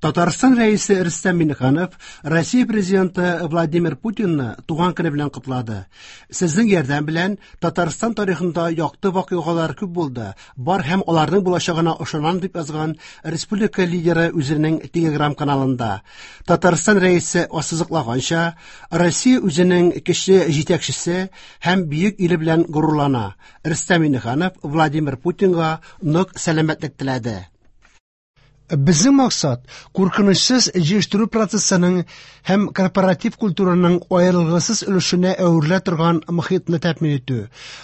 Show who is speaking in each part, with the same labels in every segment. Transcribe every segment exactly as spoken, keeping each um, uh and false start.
Speaker 1: Татарстан Рәисе Рөстәм Миңнеханов Россия Президенты Владимир Путинны туган көне белән котлады. Сезнең ярдәм белән Татарстан тарихында якты вакыйгалар күп булды, бар һәм аларның булачагына ышанам, дип язган республика лидеры үзенең Telegram каналында. Татарстан Рәисе ассызыклаганча, Россия үзенең көчле җитәкчесе һәм бөек иле белән горурлана. Рөстәм Миңнеханов Владимир Путинга нык сәламәтлек теләде. Безнең максат куркынычсыз җыештыру процессының һәм корпоратив культураның аерылгысыз өлешенә әверелә торган мохитне тәэмин итү.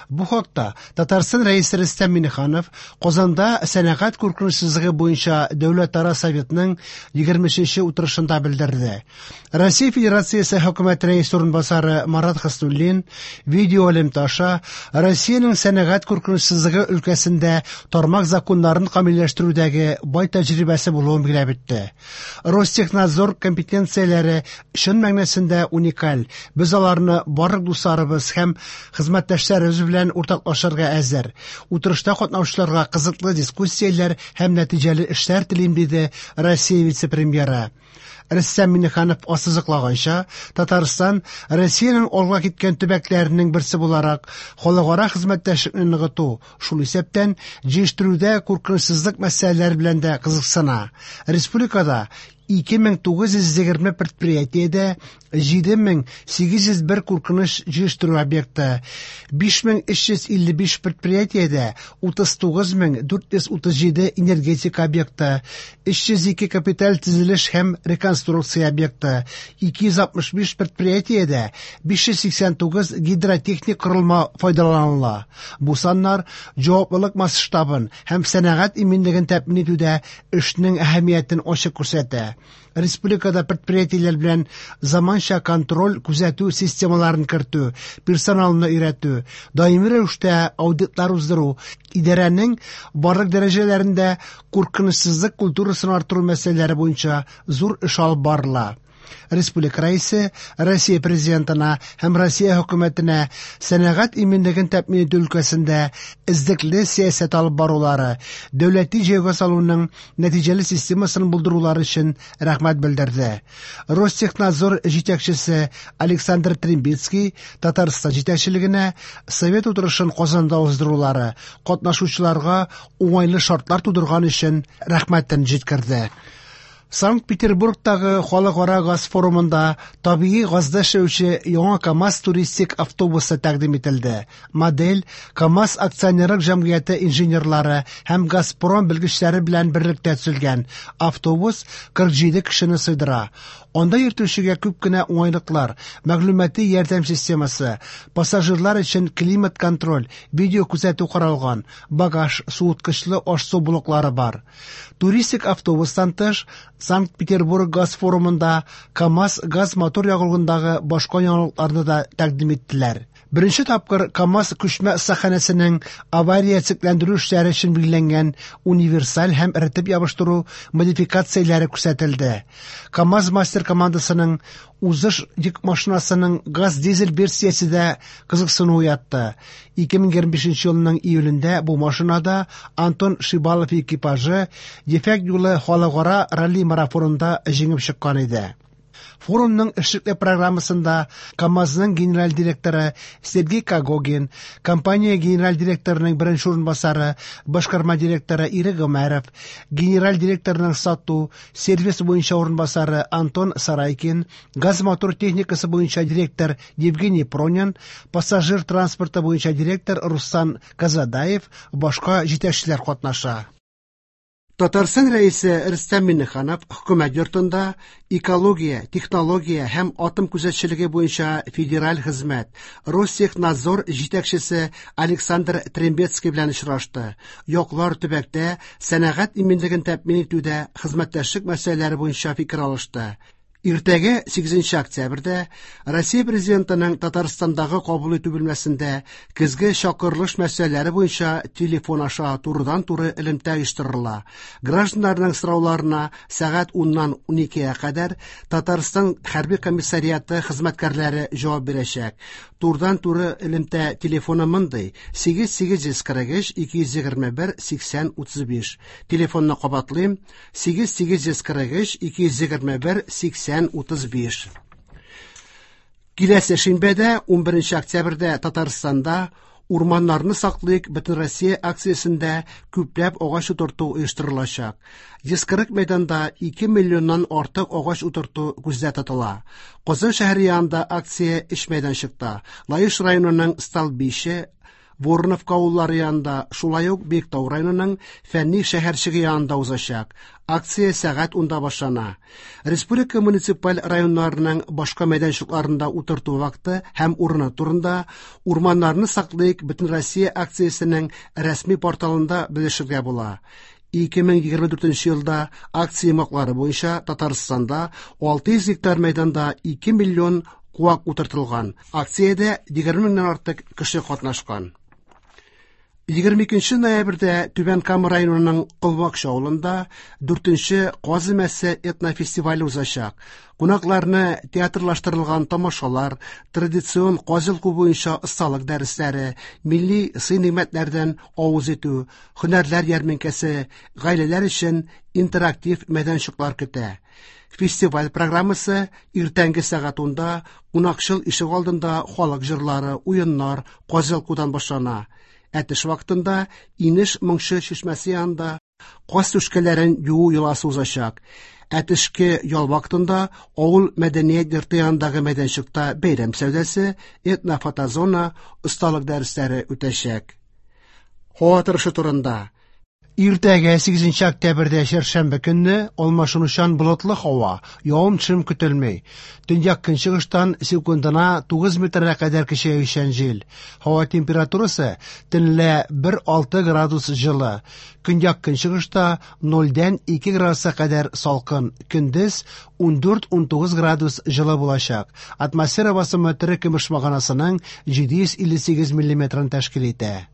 Speaker 1: Бу хакта Татарстан Рәисе Рөстәм Миңнеханов Казанда сәнәгать куркынычсызлыгы буенча Дәүләтара советның егерме өченче утырышында белдерде. Россия Федерациясе хөкүмәт рәисе урынбасары Марат Хөснуллин видеоэлемтә аша Россиянең сәнәгать куркынычсызлыгы өлкәсендә тармак законнарын камилләштерүдәге бай тәҗрибәсе булуын билгеләп үтте. Ростехнадзор компетенцияләре чын мәгънәсендә уникаль. Без аларны барлык дусларыбыз һәм хезмәттәшләребез белән уртаклашырга әзер. Утырышта катнашучыларга кызыклы дискуссияләр һәм нәтиҗәле эшләр телим, диде Россия вице-премьеры. Рөстәм Миңнеханов ассызыклаганча, Татарстан Россиянең алга киткән төбәкләренең берсе буларак халыкара хезмәттәшлекне ныгыту, шул исәптән җыештыруда куркынычсызлык мәсьәләләре белән дә кызыксына. Республикада ике мең тугыз йөз егерме предприятиедә җиде мең сигез йөз бер куркыныч җыештыру объекты, биш мең өч йөз илле биш предприятиедә утыз тугыз мең дүрт йөз утыз җиде энергетика объекты, өч йөз ике капиталь төзелеш һәм реконструкция объекты, ике йөз алтмыш биш предприятиедә биш йөз сиксән тугыз гидротехник корылма файдаланыла. Бу саннар җаваплылык масштабын һәм сәнәгать иминлеген тәэмин итүдә эшнең әһәмиятен ачык күрсәтә. Республикада предприятиеләр белән заманча контроль күзәтү системаларын кертү, персоналны өйрәтү, даими рәвештә аудитлар уздыру, идарәнең барлык дәрәҗәләрендә куркынычсызлык культурасын арттыру мәсьәләләре буенча зур эш алып барыла. Республика Рәисе Россия Президентына һәм Россия хөкүмәтенә сәнәгать иминлеген тәэмин итү өлкәсендә эзлекле сәясәт алып барулары, дәүләти җәйгә салуның нәтиҗәле системасын булдырулары өчен рәхмәт белдерде. Ростехнадзор җитәкчесе Александр Трембицкий Татарстан җитәкчелегенә совет утырышын Казанда уздырулары, катнашучыларга уңайлы шартлар тудырган өчен рәхмәтен җиткерде. Санкт-Петербургтагы халыкара газ форумында табигый газда эшләүче яңа КАМАЗ туристик автобусы тәкъдим ителде. Модель КАМАЗ акционерлык җәмгыяте инженерлары һәм Газпром белгечләре белән берлектә төзелгән. Автобус кырык җиде кешене сыйдыра. Анда йөртүчегә күп кенә уңайлыклар, мәгълүмати ярдәм системасы, пассажирлар өчен климат контроль, видео күзәтү каралган, багаж, суыткычлы аш-су блоклары бар. Туристик автобустан тыш, Санкт-Петербург газ форумында КАМАЗ газ мотор ягулыгындагы башка яңалыкларны да тәкъдим иттеләр. Беренче тапкыр КАМАЗ күчмә остаханәсенең авария циклландыру эшләре өчен билгеләнгән универсаль һәм эретеп ябыштыру модификацияләре күрсәтелде. КАМАЗ мастер командасының узыш йөк машинасының газ-дизель версиясе дә кызыксыну уятты. Ике мең егерме бишенче елның июлендә бу машинада Антон Шибалов экипажы Ефәк юлы халыкара ралли марафонында җиңеп чыккан иде. Форумның эшлекле программасында КАМАЗның генераль директоры Сергей Когогин, компания генераль директорының беренче урынбасары, башкарма директоры Ирек Гомәров, генераль директорының сату, сервис буенча урынбасары Антон Сарайкин, газ-мотор техникасы буенча директор Евгений Пронин, пассажир транспорты буенча директор Руслан Казадаев, башка җитәкчеләр катнаша. Татарстан Рәисе Рөстәм Миңнеханов хөкүмәт йортында экология, технология һәм атом күзәтчелеге буенча федераль хезмәт Ростехнадзор җитәкчесе Александр Трембецкий белән очрашты. Яклар төбәктә сәнәгать иминлеген тәэмин итүдә хезмәттәшлек мәсьәләләре буенча фикер алышты. Иртәгә сигезенче октябрьдә Россия Президентының Татарстандагы кабул итү бүлмәсендә көзге чакырылыш мәсьәләләре буенча телефон аша турыдан-туры элемтә оештырыла. Гражданнарның сорауларына сәгать уннан уникегә кадәр Татарстан хәрби комиссариаты хезмәткәрләре җавап бирәчәк. Турыдан-туры элемтә телефоны мондый: сигез сигез йөз кырык өч ике йөз егерме бер сиксән утыз биш. Телефонны кабатлыйм: сигез сигез йөз кырык өч ике йөз егерме бер сиксән утыз биш. Киләсе шимбәдә унберенче октябрьдә Татарстанда Урманнарны саклыйк Бөтенроссия акциясендә күпләп агач утырту оештырылачак. Йөз кырык мәйданда ике миллионнан артык агач утырту күздә тотыла. Казан шәһәре янында акция өч мәйданчыкта. Лаеш районының Столбище, Вороновка авыллары янында, шулай ук Биектау районының Фәнни шәһәрчеге янында узачак. Акция сәгать унда башлана. Республика муниципаль районнарының башка мәйданчыкларында утырту вакыты һәм урыны турында Урманнарны саклыйк Бөтенроссия акциясенең рәсми порталында белешергә була. Ике мең егерме дүртенче елда акция йомгаклары буенча Татарстанда алты йөз гектар мәйданда ике миллион куак утыртылган. Акциядә егерме меңнән артык кеше катнашкан. Егерме икенче ноябрьдә Түбән Кама районының Колмакчы авылында дүртенче Каз өмәсе этнофестивале узачак. Кунакларны театрлаштырылган тамашалар, традицион каз йолку буенча осталык дәресләре, милли сый-нигъмәтләрдән авыз итү, һөнәрләр ярминкәсе, гаиләләр өчен интерактив мәйданчыклар көтә. Фестиваль программасы иртәнге сәгать унда кунакчыл ишегалдында халык җырлары, уеннар, каз йолкудан башлана. Ә төш вакытында Инеш моңчы чишмәсе янында каз түшкәләрен юу йоласы узачак. Ә төшке ял вакытында авыл мәдәният йорты янындагы мәйданчыкта бәйрәм сәүдәсе, этнофотозона, осталык дәресләре үтәчәк. Һава торышы турында. Иртәгә сигезенче октябрьдә чәршәмбе көнне алмашынучан болытлы һава, явым-төшем көтелми. Төньяк көнчыгыштан секундына тугыз метрга кадәр көчәючән җил. Һава температурасы төнлә бер алты градус җылы. Көньяк көнчыгышта нольдән ике градуска кадәр салкын. Көндез ундүрт унтугыз градус җылы булачак. Атмосфера басымы терекөмеш баганасының җиде йөз илле сигез миллиметрын тәшкил итә.